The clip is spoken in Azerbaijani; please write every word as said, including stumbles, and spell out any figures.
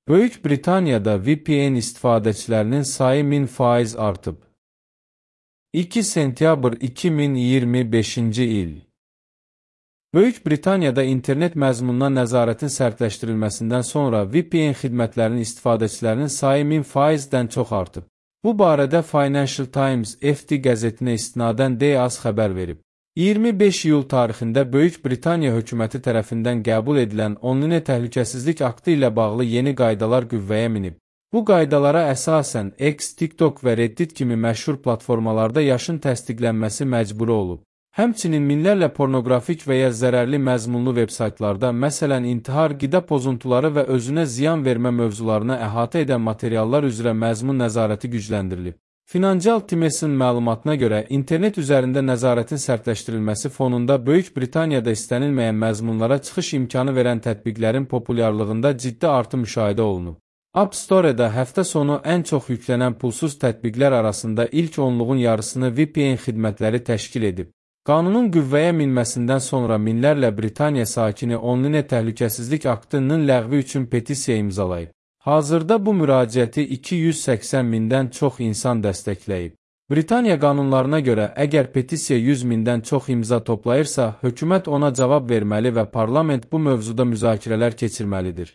Böyük Britaniyada V P N istifadəçilərinin sayı min faiz artıb. iki sentyabr iki min iyirmi beşinci il. Böyük Britaniyada internet məzmununa nəzarətin sərtləşdirilməsindən sonra V P N xidmətlərinin istifadəçilərinin sayı min faizdən çox artıb. Bu barədə Financial Times F T qəzetinə istinadən D A S xəbər verib. iyirmi beş iyul tarixində Böyük Britaniya hökuməti tərəfindən qəbul edilən onlinə təhlükəsizlik aktı ilə bağlı yeni qaydalar qüvvəyə minib. Bu qaydalara əsasən X, TikTok və Reddit kimi məşhur platformalarda yaşın təsdiqlənməsi məcburi olub. Həmçinin minlərlə pornoqrafik və ya zərərli məzmunlu vebsaytlarda, məsələn, intihar, qida pozuntuları və özünə ziyan vermə mövzularına əhatə edən materiallar üzrə məzmun nəzarəti gücləndirilib. Financial Times'in məlumatına görə, internet üzərində nəzarətin sərtləşdirilməsi fonunda Böyük Britaniyada istənilməyən məzmunlara çıxış imkanı verən tətbiqlərin populyarlığında ciddi artım müşahidə olunub. App Store-da həftə sonu ən çox yüklənən pulsuz tətbiqlər arasında ilk onluğun yarısını V P N xidmətləri təşkil edib. Qanunun qüvvəyə minməsindən sonra minlərlə Britaniya sakini onlinə təhlükəsizlik aktının ləğvi üçün petisiya imzalayıb. Hazırda bu müraciəti iki yüz səksən mindən çox insan dəstəkləyib. Britaniya qanunlarına görə, əgər petisiya yüz mindən çox imza toplayırsa, hökumət ona cavab verməli və parlament bu mövzuda müzakirələr keçirməlidir.